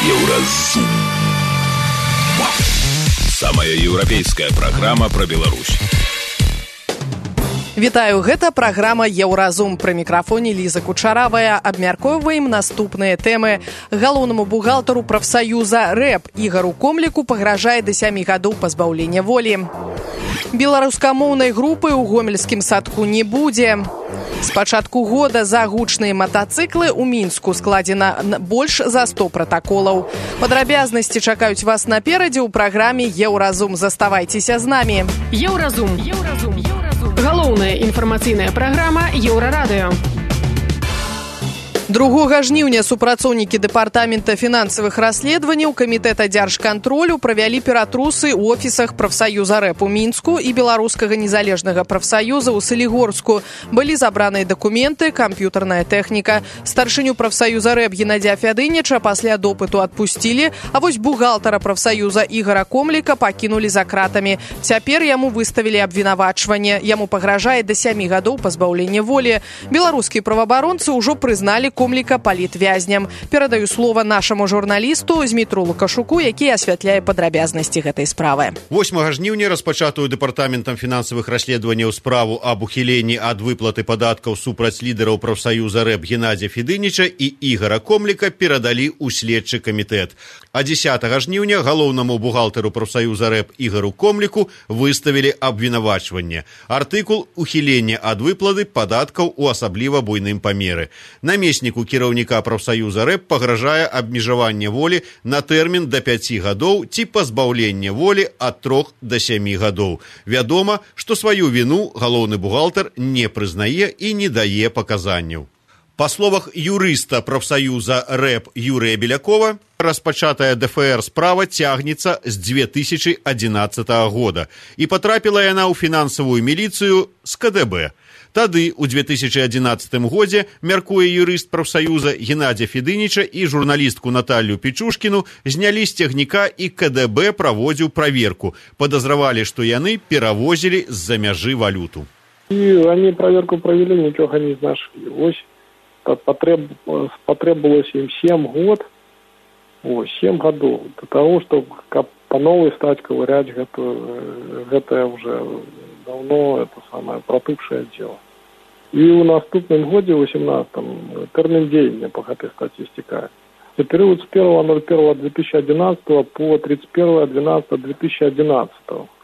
Еўразум. Самая еўрапейская праграма пра Беларусь. Вітаю, гэта праграма «Еўразум». Пры мікрафоне Ліза Кучаравая. Абмяркоўваем наступныя тэмы. Галоўнаму бухгалтару прафсаюза РЭП Ігару Комліку пагражае да 7 гадоў пазбаўлення волі. Беларускамоўнай групы ў гомельскім садку не будзе. З пачатку года за гучныя матацыклы ў Мінску складзена больш за 100 пратаколаў. Падрабязнасці чакаюць вас наперадзе ў праграме «Еўразум». Заставайцеся з намі. Еўразум. Галоўная інфармацыйная праграма Еўрарадыё. 2 жніўня супрацоўнікі дэпартамента фінансавых расследаванняў камітэта дзяржкантролю правялі ператрусы ў офісах прафсаюза РЭП у Мінску і беларускага незалежнага прафсаюза ў Салігорску. Былі забраныя дакументы, камп'ютарная тэхніка. Старшыню прафсаюза РЭП Геннадзя Фядыніча пасля допыту адпусцілі, а вось бухгалтара прафсаюза Ігара Комліка пакінулі за кратамі. Цяпер яму выставілі абвінавачванне. Яму пагражае да 7 гадоў пазбаўлення волі. Беларускія праваабаронцы ўжо прызналі Комліка палітвязням. Перадаю слова нашаму журналісту Змітру Лукашуку, які асвятляе падрабязнасці гэтай справы. 8 жніўня распачатую дэпартаментам фінансавых расследаванняў справу аб ухіленні ад выплаты падаткаў супраць лідараў прафсаюза РЭП Геннадзя Фядыніча і Ігара Комліка перадалі ў следчы камітэт. А 10 жніўня галоўнаму бухгалтару прафсаюза РЭП Ігару Комліку выставілі абвінавачванне. Артыкул ухілення ад выплаты падаткаў у асабліва буйным памеры. Намесніку кіраўніка прафсаюза РЭП пагражае абмежаванне волі на тэрмін да 5 гадоў ці пазбаўленне волі ад 3 да 7 гадоў. Вядома, што сваю віну галоўны бухгалтар не прызнае і не дае паказанняў. Па словах юрыста прафсаюза РЭП Юрыя Белякова, распачатая ДФР справа цягнецца з 2011 года і патрапіла яна ў фінансавую міліцыю з КДБ. Тады, у 2011 годзе, мяркуе юрыст прафсаюза Геннадзя Фядыніча і журналістку Наталью Пічушкіну знялі з цягніка і КДБ праводзіў праверку. Падазравалі, што яны перавозілі з-за мяжы валюту. И они проверку провели, ничего не нашли. Ось потребовалось им 7 год, 7 годов для того, чтобы по новой стать ковырять это уже давно это самое протывшее дело. И у наступным годе, в 18-м, термин деяния по этой статистике. За период с 1.01.2011 по 31.12.2011.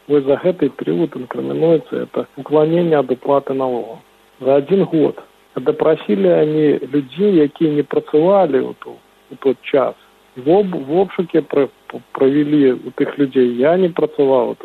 Вот за этот период инкриминуется это уклонение от уплаты налогов. За 1 год. Допросили они людей, которые не працевали у тот час. В обшуке провели у тех людей. Я не працевал у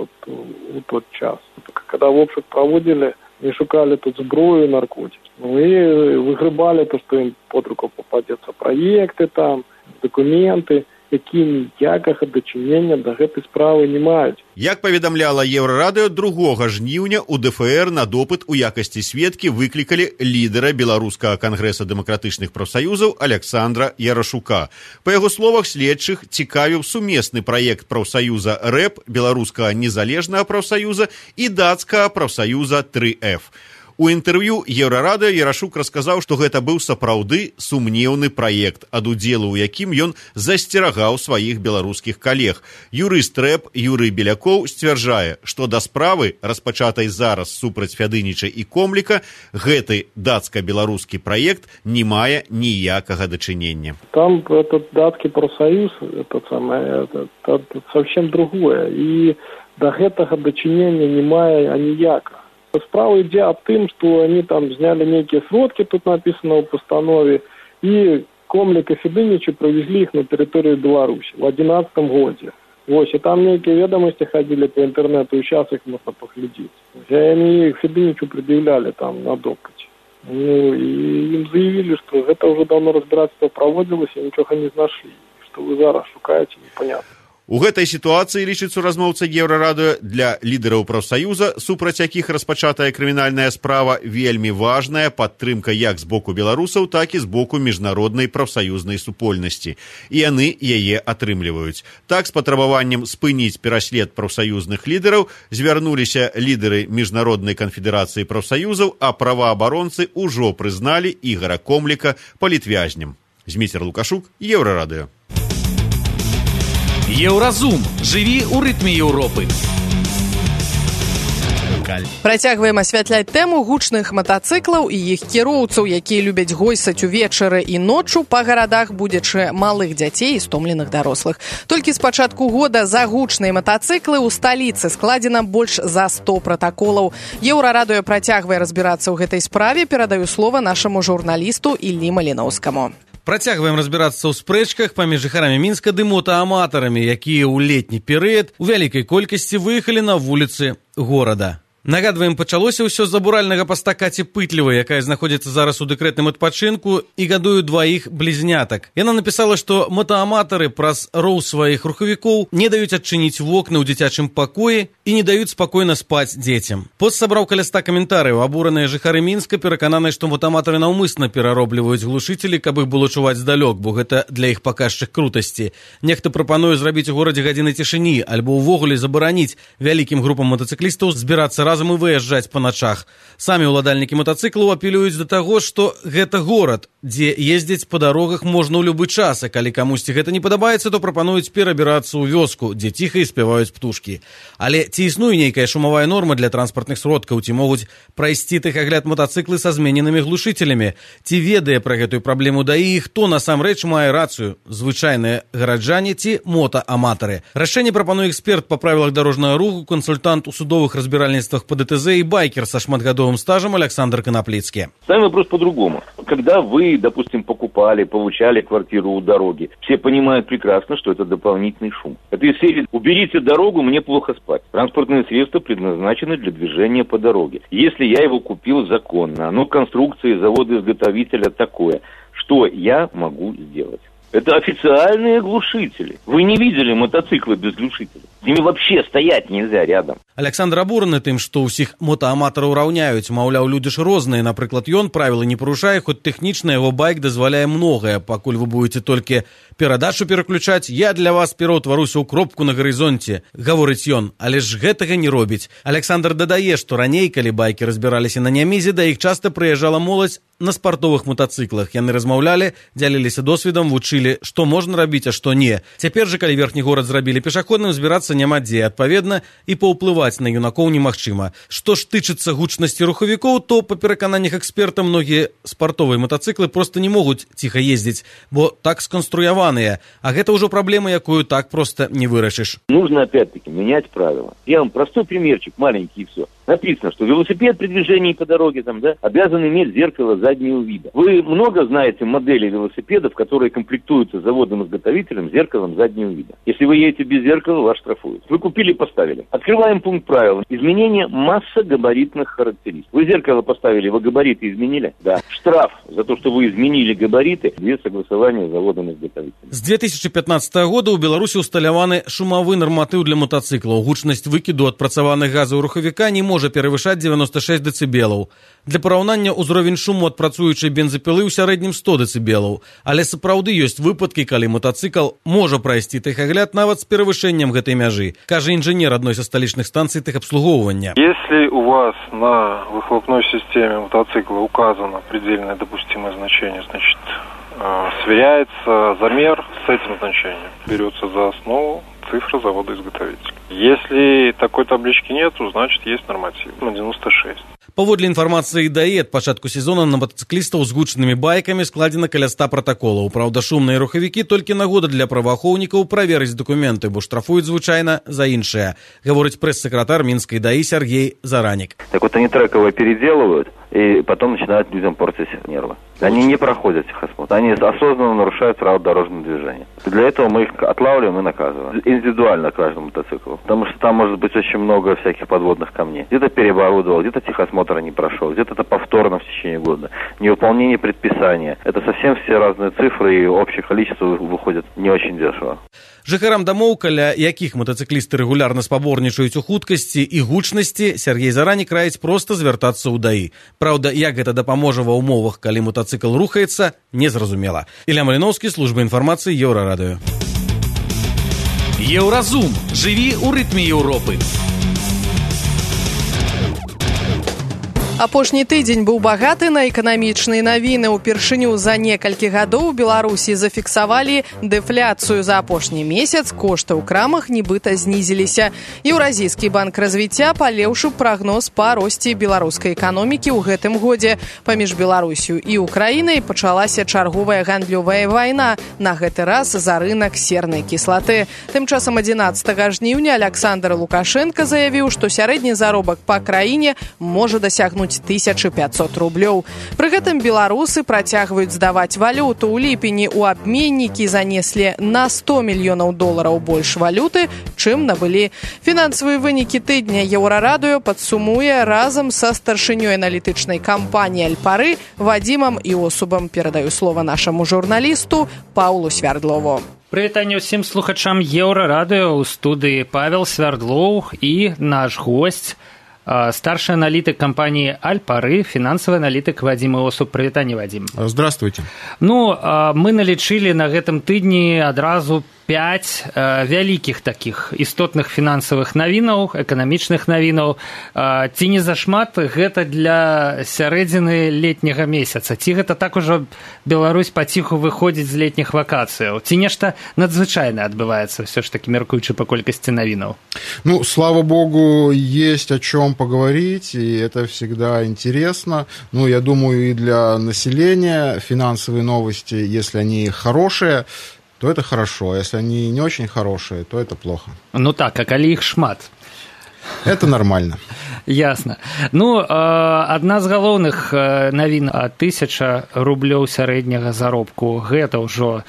тот час. Когда в обшук проводили, не шукали тут зброю и наркотики. И выгребали то, что им под руку попадется. Проекты там, документы, які ніякага дачынення да гэтай справы не маюць. Як паведамляла Еўрарадыё, 2 жніўня у ДФР на допыт у якасці сведкі выклікалі лідара Беларускага кангрэса дэмакратычных прафсаюзаў Александра Ярашука. Па яго словах, следчых цікавіў сумесны праект прафсаюза РЭП, беларускага незалежнага прафсаюза і дацкага прафсаюза 3F. У інтэрв'ю Еўрарадыё Ярашук расказаў, што гэта быў сапраўды сумнеўны праект, ад удзелу ў якім ён засцерагаў сваіх беларускіх калег. Юрыст РЭП Юрый Белякоў сцвярджае, што да справы, распачатай зараз супраць Фядыніча і Комліка, гэты дацка-беларускі праект не мае ніякага дачынення. Там этот датский профсоюз, это совсем другое, и до гэтага дачынення не мае аніякага. Справа ідзе аб тым, што они там зняли некие сродки, тут написано в постанове, и Комлік и Фядыніча провезли их на территорию Беларуси в 2011 году. И там некие ведомости ходили по интернету, и сейчас их можно поглядеть. И они Фядынічу предъявляли там на допыте. И им заявили, что это уже давно разбирательство проводилось, и ничего не нашли. Что вы зараз шукаете, непонятно. У гэтай сітуацыі, лічыць суразмоўца Еўрарадыё, для лідараў прафсаюза, супраць якіх распачатая крымінальная справа, вельмі важная падтрымка як з боку беларусаў, так і з боку міжнароднай прафсаюзнай супольнасці. І яны яе атрымліваюць. Так, з патрабаваннем спыніць пераслед прафсаюзных лідараў звярнуліся лідары Міжнароднай канфедэрацыі прафсаюзаў, а праваабаронцы ўжо прызналі Ігара Комліка палітвязнем. Зміцер Лукашук, Еўрарадыё. Еўразум. Жыві ў рытме Еўропы. Працягваем асвятляць тэму гучных матацыклаў і іх кіроўцаў, якія любяць гойсаць увечары і ноччу па гарадах, будзячы малых дзяцей і стомленых дарослых. Толькі з пачатку года за гучныя матацыклы ў сталіцы складзена больш за 100 пратаколаў. Еўрарадыё працягвае разбірацца ў гэтай справе. Перадаю слова нашаму журналісту Іллі Маліноўскаму. Працягваем разбірацца ў спрэчках паміж жыхарамі Мінска ды мотааматарамі, якія ў летні перыяд у вялікай колькасці выехалі на вуліцы горада. Нагадваем, пачалося ўсё з забуральнага паста Каці Пытлевай, якая знаходзіцца зараз у дэкрэтным адпачынку і гадуе дваіх блізнятак. Яна напісала, што мотааматары праз роў сваіх рухавікоў не даюць адчыніць вокны ў дзіцячым пакоі і не даюць спакойна спаць дзецям. Пост сабраў каля 100 каментарыяў. Абураныя жыхары Мінска перакананыя, што мотааматары наўмысна пераробліваюць глушыцелі, каб іх было чуваць здалёк, бо гэта для іх паказчык крутасці. Нехта прапануе зрабіць у горадзе гадзіны цішыні альбо ўвогуле забараніць вялікім групам матацыклістаў збірацца разам і выязджаць па начах. Самі ўладальнікі матацыклаў апелююць да таго, што гэта горад, дзе ездзіць па дарогах можна ў любы час, а калі камусьці гэта не падабаецца, то прапануюць перабірацца ў вёску, дзе ціха і спяваюць птушкі. Але ці існуе нейкая шумавая норма для транспартных сродкаў, ці могуць прайсці тэхагляд матацыклы са змененымі глушыцелямі? Ці ведае пра гэтую праблему ДАІ і хто насамрэч мае рацыю? Звычайныя гараджане ці мотааматары? Рашэнне прапануе эксперт па правілах дарожнага руху, кансультант у судовых разбіральніцтвах по ДТЗ и байкер со шматгодовым стажем Александр Коноплицкий. Сами вопрос по-другому. Когда вы, допустим, покупали, получали квартиру у дороги, все понимают прекрасно, что это дополнительный шум. Это из серии «Уберите дорогу, мне плохо спать». Транспортные средства предназначены для движения по дороге. Если я его купил законно, оно конструкции завода-изготовителя такое, что я могу сделать? Это официальные глушители. Вы не видели мотоциклы без глушителей? С ними вообще стоять нельзя рядом. Александр абураны тым, што ўсіх мотааматараў раўняюць. Маўляў, людзі ж розныя. Напрыклад, ён правілы не парушае, хоць тэхнічна яго байк дазваляе многае. Пакуль вы будете толькі перадачу пераключаць, я для вас пераўтваруся ў кропку на гарызонце, гаворыць ён, але ж гэтага не робіць. Александр дадае, што раней, калі байкі разбіраліся на Нямізе, да іх часта прыязджала моладзь на спартовых мотоциклах. Яны размаўлялі, дзяліліся досведам, вучылі, што можна рабіць, а што не. Цяпер жа, калі верхні горад зрабілі пешаходным, збірацца няма дзе. Адпаведна, і паўплываць на юнакоў немагчыма. Што ж тычыцца гучнасці рухавікоў, то, па перакананнях эксперта, многія спартовыя мотоциклы проста не могуць ціха ездзіць, бо так сканструяваныя. А гэта ўжо праблема, якую так проста не вырашыш. Нужно, опять-таки, менять правила. Я вам простой примерчик, маленький, и все. Написано, что велосипед при движении по дороге обязан иметь зеркало заднего вида. Вы много знаете моделей велосипедов, которые комплектуются заводом-изготовителем зеркалом заднего вида. Если вы едете без зеркала, вас штрафуют. Вы купили, поставили. Открываем пункт правил. Изменение массогабаритных характеристик. Вы зеркало поставили, вы габариты изменили? Да. Штраф за то, что вы изменили габариты, без согласования с заводом-изготовителем. З 2015 года ў Беларусі усталяваны шумавы нарматыў для мотоциклаў. Гучнасць выкіду адпрацаваных газаў рухавіка не можа перавышаць 96 дэцыбелаў. Для параўнання, узровень шуму ад працуючай бензапілы ў сярэднім 100 дэцыбелаў. Але сапраўды ёсць выпадкі, калі мотоцикл можа прайсці тэхагляд нават з перавышэннем гэтай мяжы, кажа інжынер адной са сталічных станцый тэхабслугоўвання. Если у вас на выхлопной системе мотоцикла указано предельное допустимое значение, значит, сверяется замер с этим значением, берется за основу цифра завода-изготовителя. Если такой таблички нету, значит, есть норматив на 96. Паводле інфармацыі ДАІ, ад пачатку сезона на матацыклістаў з гучнымі байкамі складзена каля 100 пратаколаў. Праўда, шумныя рухавікі толькі нагода для праваахоўнікаў праверыць дакументы, бо штрафуюць звычайна за іншае, гаворыць прэс-сакратар Мінскай ДАІ Сергей Заранік. Так вот, они треково переделывают и потом начинают людям портить нервы. Они не проходят техосмотр. Они осознанно нарушают правила дорожного движения. Для этого мы их отлавливаем и наказываем. Индивидуально каждому мотоциклу. Потому что там может быть очень много всяких подводных камней. Где-то переоборудовал, где-то техосмотр не прошел, где-то это повторно в течение года. Невыполнение предписания. Это совсем все разные цифры, и общее количество выходит не очень дешево. Жыхарам дамоў, каля якіх матацыклісты рэгулярна спаборнічаюць у хуткасці і гучнасці, Сергей Заранік раіць проста звяртацца ў ДАІ. Праўда, як гэта дапаможа ва ўмовах, калі мотацыкл рухаецца, незразумела. Ілля Маліноўскі, служба інфармацыі, Еўрарадыё. Еўразум. Жыві ў рытме Еўропы. Апошні тыдзень быў багаты на эканамічныя навіны. Упершыню за некалькі гадоў у Беларусі зафіксавалі дэфляцыю. За апошні месяц кошты ў крамах нібыта знізіліся. Еўразійскі банк развіцця палепшыў прагноз па росце беларускай эканомікі ў гэтым годзе. Паміж Беларусю і Украінай пачалася чарговая гандлёвая вайна, на гэты раз за рынак сернай кіслаты. Тым часам 11 жніўня Александр Лукашенко заявіў, што сярэдні заробак па краіне можа дасягнуць 1500 рублёў. Пры гэтым беларусы працягваюць здаваць валюту. У ліпені ў абменнікі занеслі на $100 мільёнаў больш валюты, чым набылі. Фінансавыя вынікі тыдня Еўрарадыё падсумуе разам са старшынёй аналітычнай кампаніі «Альпары» Вадзімам Іосубам. Перадаю слова нашаму журналісту Паўлу Свярдлову. Прывітанне ўсім слухачам Еўрарадыё. У студыі Павел Свярдлоў і наш госць, старший аналитик компании «Альпары», финансовый аналитик Вадим Иосуб. Привитание, Вадим. Здравствуйте. Ну, мы налічылі на гэтым тыдні адразу 5 вялікіх такіх істотных фінансавых навінаў, эканамічных навінаў. Ці не зашмат гэта для сярэдзіны летняга месяца? Ці гэта так ужо Беларусь паціху выходзіць з летніх вакацыяў? Ці нешта надзвычайнае адбываецца, все ж таки, меркуючы па колькасці навінаў? Ну, слава богу, есть о чем поговорить, и это всегда интересно. Ну, я думаю, и для населения финансовые новости, если они хорошие, то это хорошо, а если они не очень хорошие, то это плохо. Ну так, а калі іх шмат? Это нормально. Ясно. Ну, адна з галоўных навін, 1000 рублёў сярэдняга заробку, гэта ўжо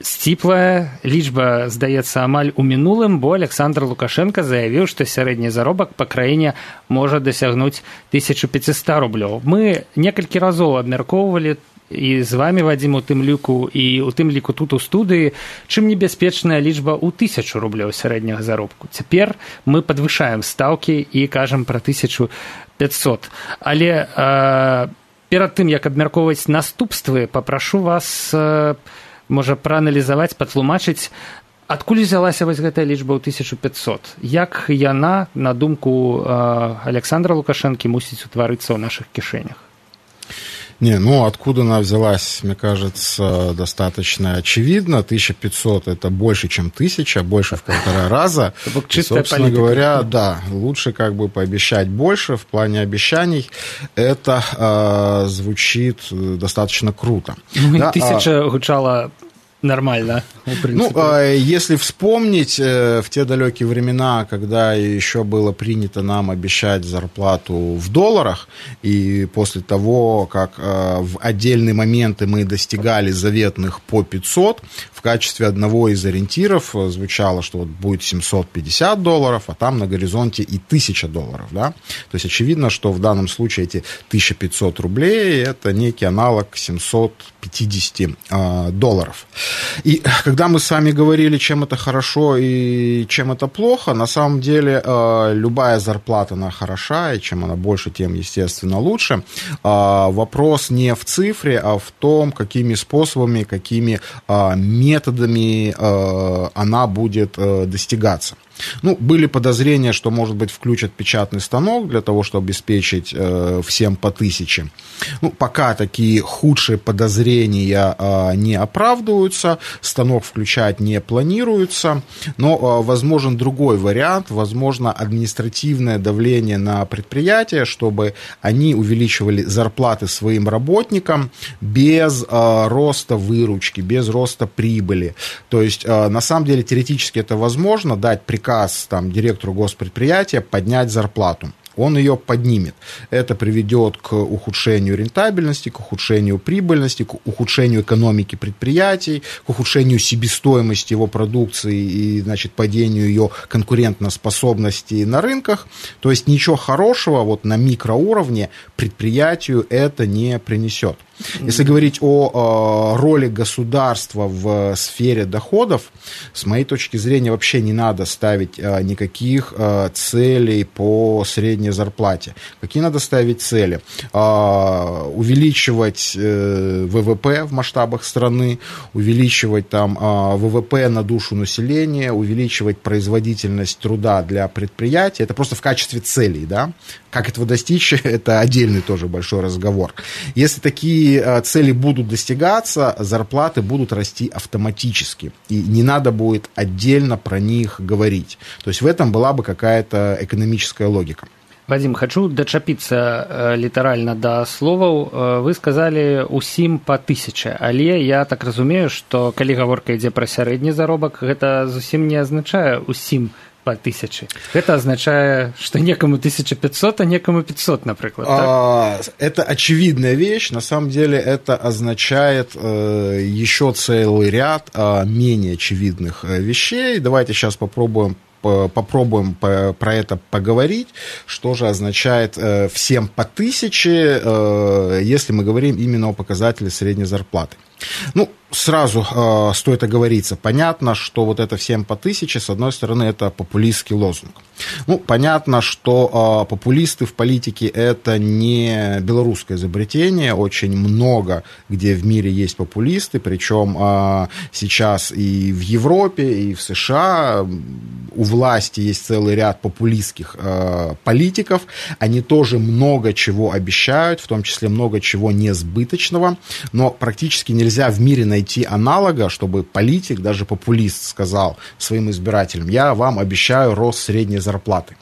сціплая лічба, здаецца, амаль у мінулым, бо Александр Лукашенко заявіў, што сярэдні заробак па краіне можа дасягнуць 1500 рублёў. Мы некалькі разоў абмяркоўвалі і з вами, Вадзім, у тым ліку, і у тым ліку тут у студыі, чым небяспечная лічба ў 1000 рублёў сярэдняга заробку. Цяпер мы падвышаем стаўкі і кажам пра 1500. Але перад тым, як абмяркоўваць наступствы, папрашу вас, можа, прааналізаваць, патлумачыць, адкуль взялася вось гэтая лічба ў 1500? Як яна, на думку Александра Лукашэнкі, мусіць утварыцца ў нашых кішэнях? Не, ну, откуда она взялась, мне кажется, достаточно очевидно. 1500 – это больше, чем 1000, больше в 1,5 раза. И, собственно говоря, да, лучше как бы пообещать больше. В плане обещаний это звучит достаточно круто. Ну, да, 1000 гучало нормально, в принципе. Ну, если вспомнить в те далекие времена, когда еще было принято нам обещать зарплату в долларах, и после того, как в отдельные моменты мы достигали заветных по 500, в качестве одного из ориентиров звучало, что вот будет $750, а там на горизонте и $1000, да? То есть очевидно, что в данном случае эти 1500 рублей – это некий аналог $750. И когда мы с вами говорили, чем это хорошо и чем это плохо, на самом деле любая зарплата, она хороша, и чем она больше, тем, естественно, лучше. Вопрос не в цифре, а в том, какими способами, какими методами она будет достигаться. Ну, были подозрения, что, может быть, включат печатный станок для того, чтобы обеспечить всем по 1000. Ну, пока такие худшие подозрения не оправдываются, станок включать не планируется, но возможен другой вариант, возможно, административное давление на предприятия, чтобы они увеличивали зарплаты своим работникам без роста выручки, без роста прибыли. То есть, на самом деле, теоретически это возможно, дать приказ там, директору госпредприятия поднять зарплату. Он ее поднимет. Это приведет к ухудшению рентабельности, к ухудшению прибыльности, к ухудшению экономики предприятий, к ухудшению себестоимости его продукции и, значит, падению ее конкурентоспособности на рынках. То есть ничего хорошего вот на микроуровне предприятию это не принесет. Если говорить о роли государства в сфере доходов, с моей точки зрения, вообще не надо ставить никаких целей по средней зарплате. Какие надо ставить цели? Увеличивать ВВП в масштабах страны, увеличивать там ВВП на душу населения, увеличивать производительность труда для предприятий. Это просто в качестве целей, да? Как этого достичь, это отдельный тоже большой разговор. Если такие цели будут достигаться, зарплаты будут расти автоматически, и не надо будет отдельно про них говорить. То есть в этом была бы какая-то экономическая логика. Вадим, хочу дачапіцца літаральна да словаў. Вы сказалі усім па 1000, але я так разумею, што калі гаворка ідзе пра сярэдні заробак, гэта зусім не азначае усім по 1000. Это означает, что некому 1500, а некому 500, например. Это очевидная вещь. На самом деле это означает еще целый ряд менее очевидных вещей. Давайте сейчас попробуем про это поговорить, что же означает всем по 1000, если мы говорим именно о показателе средней зарплаты. Ну, сразу стоит оговориться. Понятно, что вот это всем по 1000, с одной стороны, это популистский лозунг. Ну, понятно, что популисты в политике – это не белорусское изобретение. Очень много, где в мире есть популисты, причем сейчас и в Европе, и в США у власти есть целый ряд популистских политиков. Они тоже много чего обещают, в том числе много чего несбыточного, но практически нельзя в мире найти аналога, чтобы политик, даже популист, сказал своим избирателям: я вам обещаю рост средней зарплаты.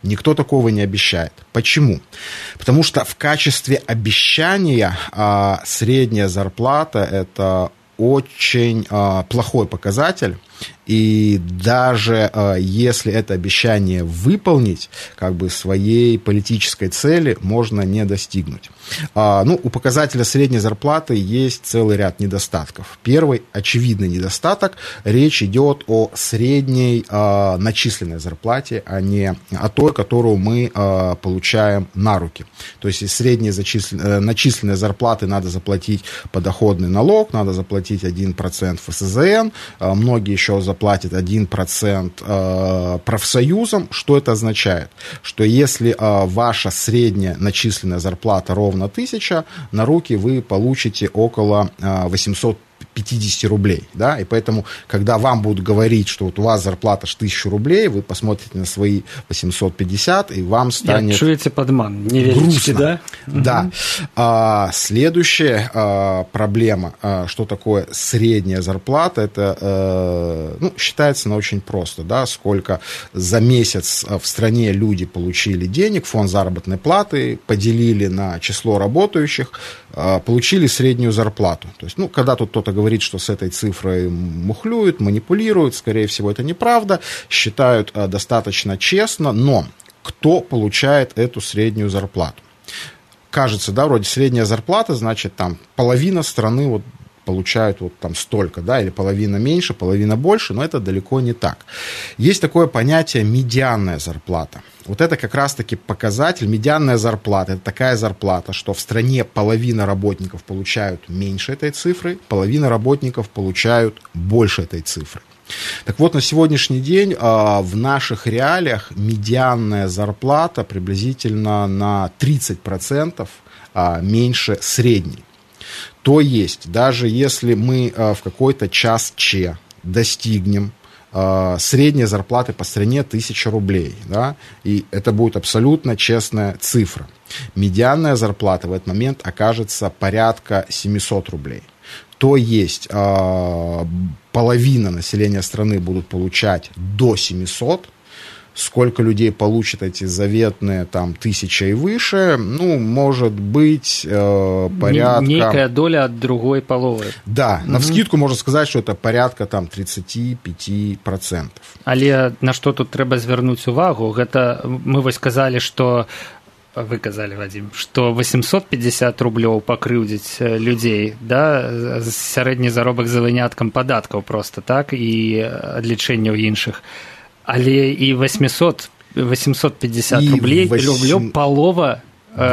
Никто такого не обещает. Почему? Потому что в качестве обещания средняя зарплата – это очень плохой показатель. И даже если это обещание выполнить, как бы своей политической цели можно не достигнуть. Ну, у показателя средней зарплаты есть целый ряд недостатков. Первый очевидный недостаток – речь идет о средней начисленной зарплате, а не о той, которую мы получаем на руки. То есть из средней начисленной зарплаты надо заплатить подоходный налог, надо заплатить 1% ФСЗН, многие еще заплатят 1% профсоюзам. Что это означает? Что если ваша средняя начисленная зарплата ровно 1000, на руки вы получите около 850 рублей, да, и поэтому, когда вам будут говорить, что вот у вас зарплата 1000 рублей, вы посмотрите на свои 850, и вам станет чуете подман, не верите, да? Да. Следующая проблема, что такое средняя зарплата, это, считается очень просто, да, сколько за месяц в стране люди получили денег, фонд заработной платы, поделили на число работающих, получили среднюю зарплату. То есть, когда тут кто-то говорит, что с этой цифрой мухлюют, манипулируют, скорее всего, это неправда, считают достаточно честно, но кто получает эту среднюю зарплату? Кажется, да, вроде средняя зарплата, значит, там половина страны вот получают вот там столько, да, или половина меньше, половина больше, но это далеко не так. Есть такое понятие медианная зарплата. Вот это как раз-таки показатель. Медианная зарплата – это такая зарплата, что в стране половина работников получают меньше этой цифры, половина работников получают больше этой цифры. Так вот, на сегодняшний день в наших реалиях медианная зарплата приблизительно на 30% меньше средней. То есть, даже если мы в какой-то час Ч достигнем средней зарплаты по стране 1000 рублей, да, и это будет абсолютно честная цифра, медианная зарплата в этот момент окажется порядка 700 рублей. То есть половина населения страны будут получать до 700. Сколько людей получат эти заветные там 1000 и выше, может быть порядка... Некая доля от другой половы. Да, навскидку можно сказать, что это порядка там 35%. Але на што тут трэба звярнуць увагу, гэта мы вось казалі, што вы казалі, Вадим, што 850 рублёў пакрыўдзіць людзей, да, сярэдні заробак за выняткам падаткаў просто, так, і адлічэнняў іншых. Але і 850 рублей палова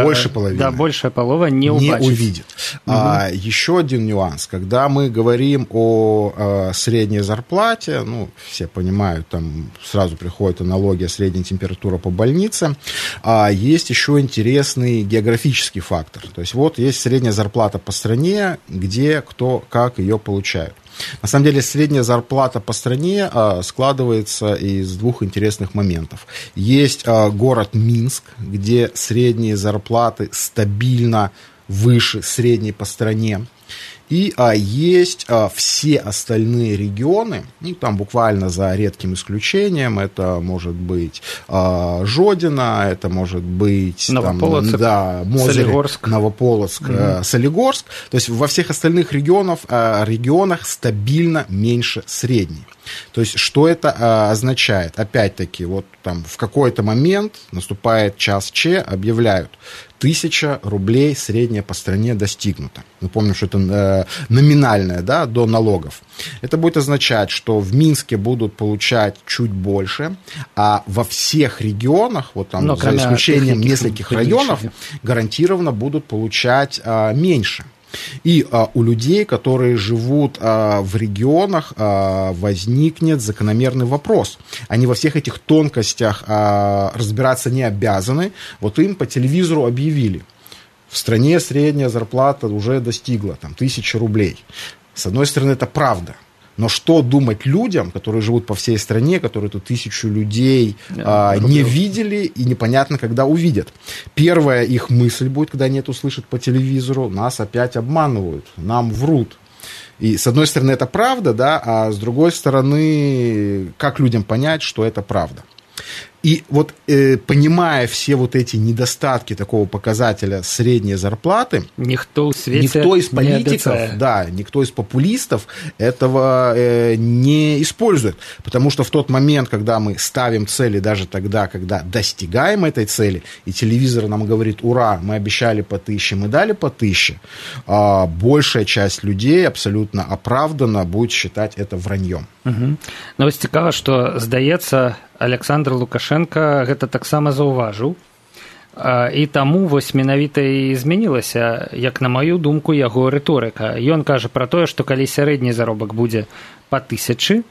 больше половины. Да, большая полова не увидит. Еще один нюанс. Когда мы говорим о средней зарплате, ну, все понимают, там сразу приходит аналогия средняя температура по больнице, есть еще интересный географический фактор. То есть вот есть средняя зарплата по стране, где кто как ее получает. На самом деле средняя зарплата по стране складывается из двух интересных моментов. Есть город Минск, где средние зарплаты стабильно выше средней по стране. И есть все остальные регионы, и там буквально за редким исключением, это может быть Жодино, это может быть Новополоцк, Мозырь, Солигорск. Новополоцк, Солигорск. То есть во всех остальных регионах стабильно меньше средней. То есть что это означает? Опять-таки, вот там в какой-то момент наступает час Ч, объявляют: 1000 рублей средняя по стране достигнута. Мы помним, что это номинальное, да, до налогов. Это будет означать, что в Минске будут получать чуть больше, а во всех регионах, вот там за исключением нескольких районов, гарантированно будут получать меньше. И у людей, которые живут в регионах, возникнет закономерный вопрос. Они во всех этих тонкостях разбираться не обязаны. Вот им по телевизору объявили: в стране средняя зарплата уже достигла 1000 рублей. С одной стороны, это правда. Но что думать людям, которые живут по всей стране, которые эту 1000 людей не видели и непонятно, когда увидят? Первая их мысль будет, когда они это услышат по телевизору: нас опять обманывают, нам врут. И с одной стороны, это правда, да, а с другой стороны, как людям понять, что это правда? И вот понимая все вот эти недостатки такого показателя средней зарплаты, никто из политиков, никто из популистов этого не использует. Потому что в тот момент, когда мы ставим цели, даже тогда, когда достигаем этой цели, и телевизор нам говорит: ура, мы обещали по 1000, мы дали по 1000, большая часть людей абсолютно оправданно будет считать это враньем. Ну, вось цікава, што, здаецца, Александр Лукашенко гэта таксама заўважыў, і таму вось менавіта і змянілася, як на маю думку, яго рыторыка. Ён кажа пра тое, што калі сярэдні заробак будзе па 1000,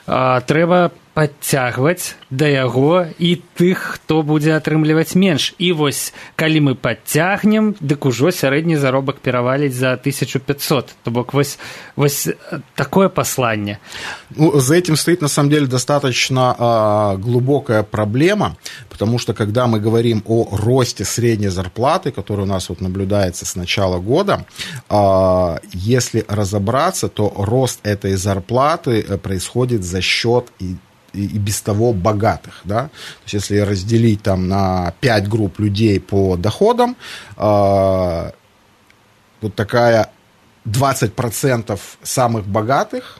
трэба падцягваць да яго і тых, хто будзе атрымліваць менш. І вось, калі мы падцягнем, дык ужо сярэдні заробак пераваліць за 1500. То бок вось такое послание. Ну, за этим стоит, на самом деле, достаточно глубокая проблема, потому что, когда мы говорим о росте средней зарплаты, который у нас вот наблюдается с начала года, если разобраться, то рост этой зарплаты происходит за счет и без того богатых, да? То есть если разделить там на 5 групп людей по доходам, вот такая 20% самых богатых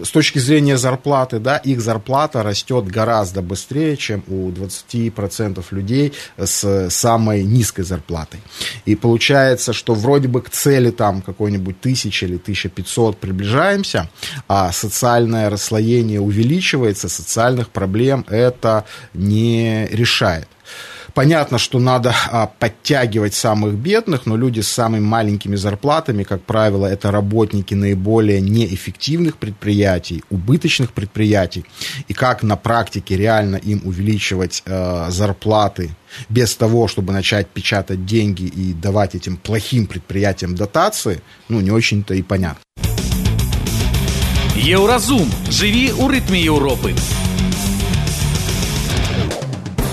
с точки зрения зарплаты, да, их зарплата растет гораздо быстрее, чем у 20% людей с самой низкой зарплатой. И получается, что вроде бы к цели там какой-нибудь 1000 или 1500 приближаемся, а социальное расслоение увеличивается, социальных проблем это не решает. Понятно, что надо подтягивать самых бедных, но люди с самыми маленькими зарплатами, как правило, это работники наиболее неэффективных предприятий, убыточных предприятий. И как на практике реально им увеличивать зарплаты без того, чтобы начать печатать деньги и давать этим плохим предприятиям дотации, ну, не очень-то и понятно. Еўразум. Жыві ў рытме Еўропы.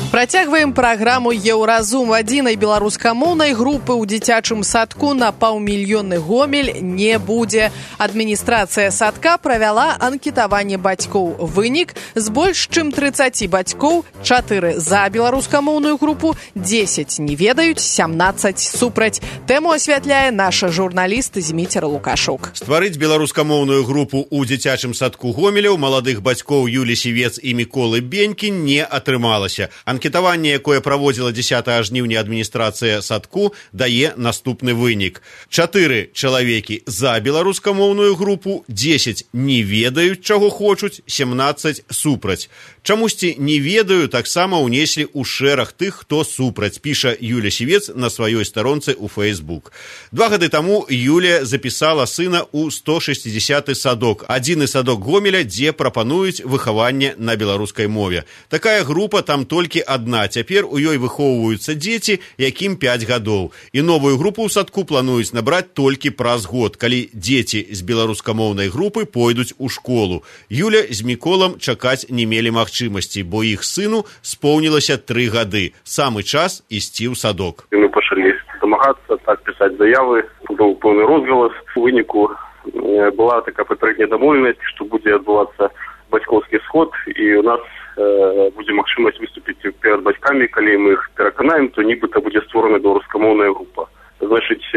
Працягваем праграму «Еўразум». Адзінай беларускамоўнай групы ў дзіцячым садку на паўмільённы Гомель не будзе. Адміністрацыя садка правяла анкетаванне бацькоў. Вынік: з больш чым 30 бацькоў 4 за беларускамоўную групу, 10 не ведаюць, 17 супраць. Тэму асвятляе наша журналіст Зміцер Лукашук. Стварыць беларускамоўную групу ў дзіцячым садку Гомеля ў маладых бацькоў Юлі Сівец і Міколы Бенькі не атрымалася. Анкетаванне, якое праводзіла 10 жніўня адміністрацыя садку, дае наступны вынік. 4 чалавекі за беларускамоўную групу, 10 не ведаюць, чаго хочуць, 17 супраць. Чамусьці не ведаю таксама ўнеслі ў шэраг тых, хто супраць, піша Юля Сівец на сваёй старонцы ў Facebook. 2 гады таму Юлія запісала сына ў 160-й садок, адзіны садок Гомеля, дзе прапануюць выхаванне на беларускай мове. Такая група там толькі адна, цяпер у ёй выхоўваюцца дзеці, якім 5 гадоў. І новую групу ў садку плануюць набраць толькі праз год, калі дзеці з беларускамоўнай групы пойдуць у школу. Юля з Міколам чакаць не мелі магчымасці, бо іх сыну споўнілася 3 гады. Самы час ісці ў садок. Мы пачалі дамагацца, так пісаць заявы, быў пэўны розгалас. У выніку была такая папярэдняя дамоўленасць, што будзе адбывацца бацькоўскі сход, і у нас будзе магчымасць выступіць перад бацькамі, калі мы іх пераканаем, то нібыта будзе створана беларускамоўная група. Значыць,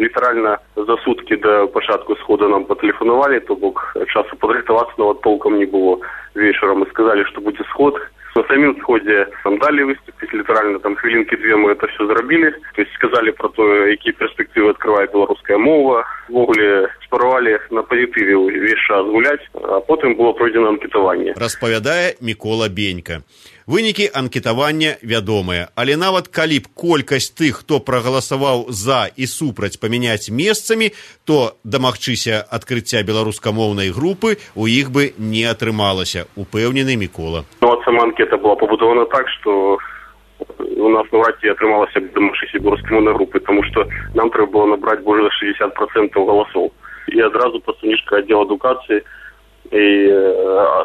літаральна за суткі да пачатку сходу нам патэлефанавалі, то бок часу падрыхтавацца нават толкам не было. Вечарам мы сказалі, што будзе сход. На самім сходзе нам далі выступіць, літаральна там хвілінкі 2 мы это все зрабілі. То есть сказалі про то, якія перспектывы адкрывае беларуская мова. Ввогуле спаравалі на пазітыве увесь час гуляць, а потым было пройдзена анкетаванне. Распавядае Мікола Бенька. Вынікі анкетавання вядомыя, але нават калі б колькасць тых, хто прагаласаваў за і супраць памяняць месцамі, то дамагчыся адкрыцця беларускамоўнай групы у іх бы не атрымалася, упэўнены Мікола. Ну, а сама анкета была пабудована так, што у нас навряд ці атрымалася дамагчыся беларускамоўнай групы, тому што нам трэба было набраць больш за 60% галасоў. І адразу прадстаўнічка аддзела адукацыі и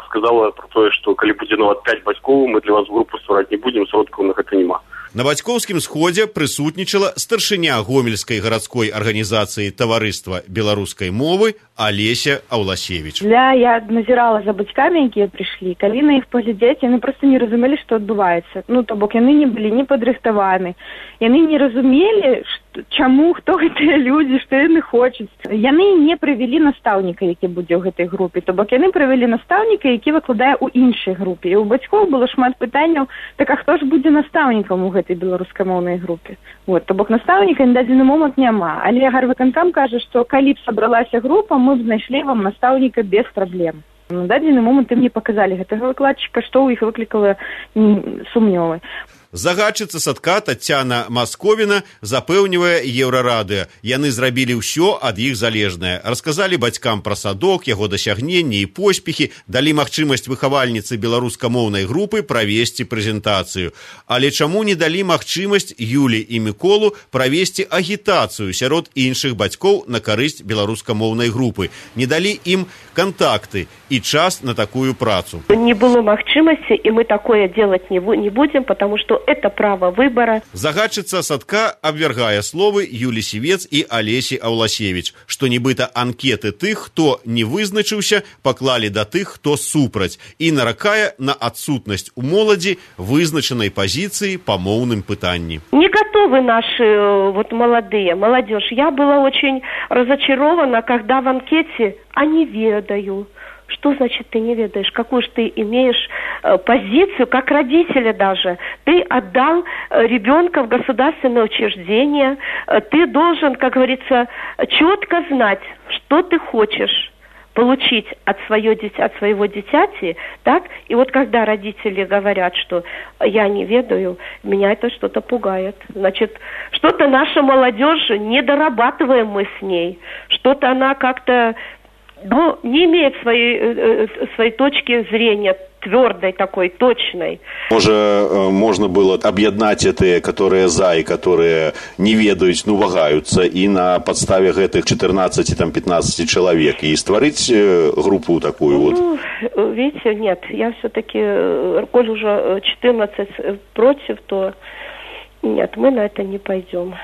сказала про то, что калі будзе нават 5 бацькоў, мы для вас групу ствараць не будзем, сродкаў на гэта няма. На бацькоўскім сходзе прысутнічала старшыня гомельскай гарадской арганізацыі таварыства беларускай мовы Алеся Аўласевіч. Я назірала за бацькамі, якія прыйшлі. Калі на іх паглядзець, яны проста не разумелі, што адбываецца. Ну, то бок яны не былі не падрыхтаваны. Яны не разумелі, чаму, хто гэтыя людзі, што яны хочуць. Яны не прывялі настаўніка, які будзе ў гэтай групе. То бок яны прывялі настаўніка, які выкладае ў іншай групе. І у бацькоў было шмат пытанняў, так а хто ж будзе настаўнікам у гэтай беларускамоўнай групе. Вот, то бок настаўніка на дадзены момант няма. Але гарвыканкам кажа, што калі б сабралася група, мы б знайшлі вам настаўніка без праблем. На дадзены момант ім не паказалі гэтага выкладчыка, што ў іх выклікала сумнёвы. Загадчыца садка Таццяна Масковіна запэўнівае Еўрарадыё. Яны зрабілі ўсё ад іх залежнае. Расказалі бацькам пра садок, яго дасягненні і поспехі, далі магчымасць выхавальніцы беларускамоўнай групы правесці прэзентацыю. Але чаму не далі магчымасць Юлі і Міколу правесці агітацыю сярод іншых бацькоў на карысць беларускамоўнай групы? Не далі ім кантакты і час на такую працу. Не было магчымасці, і мы такое делать не будем, потому что это право выбора. Загадчыца садка абвяргае словы Юлі Сівец і Алесі Аўласевіч, што нібыта анкеты тых, хто не вызначыўся, паклалі да тых, хто супраць, і наракае на адсутнасць у моладзі вызначанай пазіцыі па моўным пытанні. Не готовы наши молодые, молодежь. Я была очень разочарована, когда в анкете «а не ведаю». Что значит ты не ведаешь? Какую же ты имеешь позицию, как родители даже? Ты отдал ребенка в государственное учреждение, ты должен, как говорится, четко знать, что ты хочешь получить от своего дитяти, так? И вот когда родители говорят, что я не ведаю, меня это что-то пугает. Значит, что-то наша молодежь, не дорабатываем мы с ней, что-то она как-то не имеет своей точки зрения твердой такой, точной. Может, можно было объединять те, которые за и которые не ведают, ну, вагаются, и на подставе этих 14-15 человек, и створить группу такую вот? Ну, видите, нет, я все-таки, коль уже 14 против, то нет, мы на это не пойдем.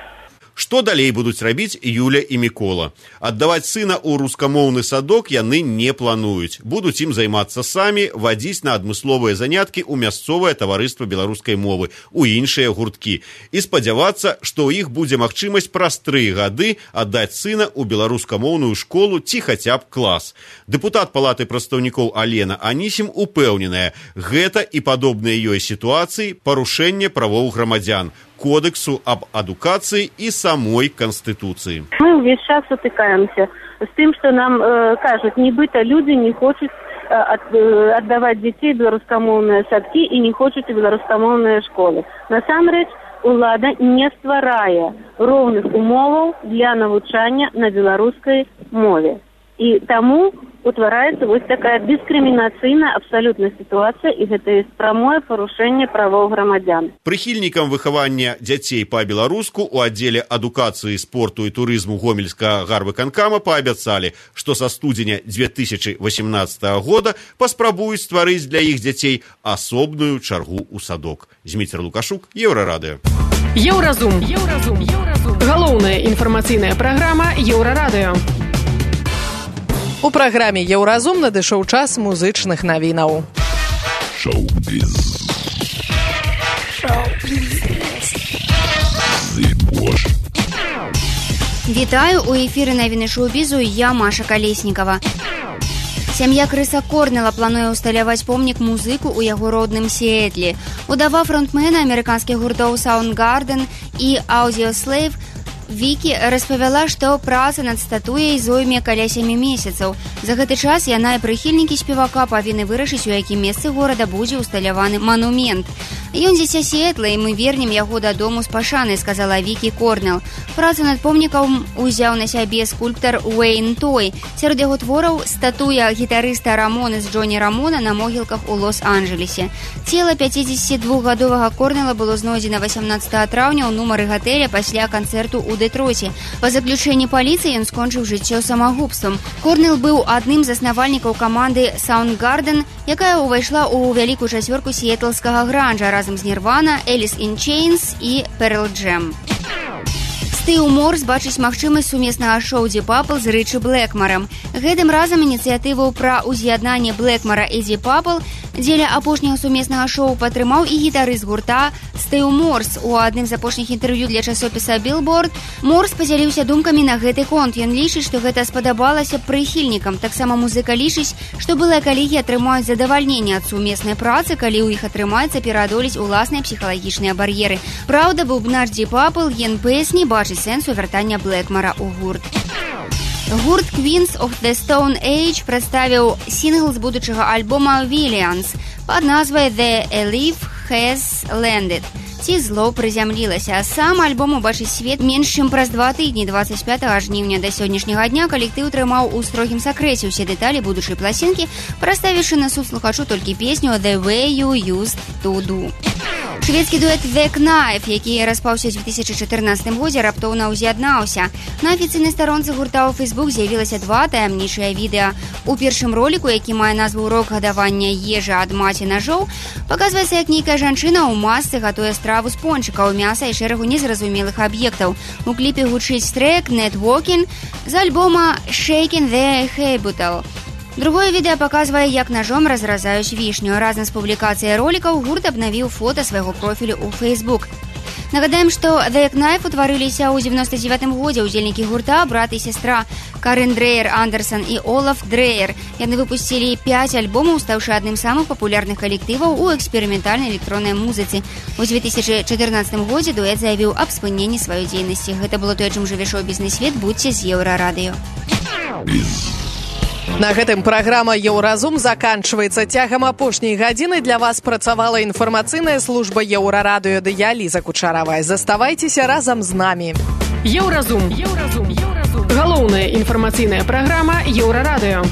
Што далей будуць рабіць Юля і Мікола? Аддаваць сына ў рускамоўны садок яны не плануюць. Будуць ім займацца самі, вадзіць на адмысловыя заняткі ў мясцовае таварыства беларускай мовы, у іншыя гурткі. І спадзявацца, што ў іх будзе магчымасць праз 3 гады аддаць сына ў беларускамоўную школу ці хаця б клас. Дэпутат Палаты прадстаўнікоў Алена Анісім упэўненая, гэта і падобныя ёй сітуацыі парушэнне правоў грамадзян, кодексу об адукации и самой Конституции. Мы весь час утыкаемся с тем, что нам кажут, нібыта люди не хочуть отдавать детей в беларускамоўныя садки и не хочуть у беларускамоўныя школы. Насамрэч, улада не стварае роўных умоваў для навучання на беларускай мове. І таму утвараецца вось такая дыскрымінацыйная абсалютная сітуацыя, і гэта ёсць прамое парушэнне правоў грамадзян. Прыхільнікам выхавання дзяцей па-беларуску у аддзеле адукацыі, спорту і турызму Гомельскага гарвыканкама паабяцалі, што са студзеня 2018 года паспрабуюць стварыць для іх дзяцей асобную чаргу ў садок. Зміцер Лукашук, Еўрарадыё. Еўразум. Галоўная інфармацыйная праграма Еўрарадыё. У праграме «Еўразум» надышоў час музычных навінаў. Вітаю, у эфіры навіны шоу-бізу, я Маша Калеснікава. Сям'я Крыса Корнела плануе ўсталяваць помнік музыку ў яго родным Сіэтлі. Удава фронтмена амерыканскіх гуртоў Soundgarden і Audioslave Вікі распавяла, што праца над статуяй зойме каля 7 месяцаў. За гэты час яна і прыхільнікі спевака павінны вырашыць, у якім месцы горада будзе ўсталяваны манумент. Ён дзіця Сіэтла, і мы вернем яго дадому з пашанай, сказала Вікі Корнел. Працу над помнікам узяў на сябе скульптар Уэйн Той. Сярод яго твораў статуя гітарыста Рамоны з Джоні Рамона на могілках у Лос-Анджелесе. Цела 52-гадовага Корнела было знойдзена 18 траўня ў нумары гатэля пасля канцэрту ў Дэтройце. Па заключэнні паліцыі ён скончыў жыццё самагубствам. Корнел быў адным з заснавальнікаў каманды Soundgarden, якая ўвайшла ў вялікую чацвёрку сіэтлскага гранжа разам з Nirvana, Alice in Chains і Pearl Jam. Стыў Морс бачыць магчымасць сумеснага шоу Deep Purple з Рычы Блэкмарам. Гэтым разам ініцыятыву пра ўз'яднанне Блэкмара і Deep Purple дзеля апошняга сумеснага шоу падтрымаў і гітарыст гурта Стыў Морс. У адным з апошніх інтэрв'ю для часопіса Billboard Морс падзяліўся думкамі на гэты конт. Ён лічыць, што гэта спадабалася прыхільнікам. Таксама музыка лічыць, што былыя калегі атрымаюць задавальненне ад сумеснай працы, калі ў іх атрымаецца пераадолець уласныя псіхалагічныя бар'еры. Праўда, бубнач Deep Purple Ген Пэйс не бачыць сэнсу вяртання Блэкмара ў гурт. Гурт Queens of the Stone Age прадставіў сінгл з будучага альбома Villains пад назвай The Elif Has Landed. Ці зло прызямлілася. Сам альбом убачыць свет менш чым праз 2 тыдні, 25 жніўня да сённяшняга дня калектыў трымаў у строгім сакрэце ўсе дэталі будучай пласінкі, праставіўшы на суд слухачу толькі песню The Way You Used to Do. Шведскі дуэт The Knife, які распаўся ў 2014 годзе, раптоўна ўз'яднаўся. На афіцыйнай старонцы гурта ў Facebook з'явілася 2 таямнічыя відэа. У першым роліку, які мае назву «Урок гадавання ежы ад маці нажоў», паказваецца, як нейкая жанчына ў масцы гатуе страву з пончыкаў, мяса і шэрагу незразумелых аб'ектаў. У кліпе гучыць трэк «Networking» з альбома «Shaking the Haybutal». Другое відэа паказвае, як ножом разразаюць вішню. Разам з публікацыяй ролікаў гурт абнавіў фота свайго профілю ў Facebook. Нагадаем, што The Knife утварыліся ў 99 годзе. Удзельнікі гурта, брат і сястра Карен Дрейер Андерсон і Олаф Дрейер. Яны выпусцілі 5 альбомаў, стаўшы адным з самых папулярных калектываў у эксперыментальнай электроннай музыцы. У 2014 годзе дуэт заявіў аб спыненні сваёй дзейнасці. Гэта было тое, чым жыве шоу-бізнес-свет. Будьце з Еўрарадыё. На гэтым праграма «Еўразум» заканчваецца. Цягам апошняй гадзіны для вас працавала інфармацыйная служба Еўрарадыё ды я, Ліза Кучаравая. Заставайцеся разам з намі. Еўразум. Галоўная інфармацыйная праграма Еўрарадыё.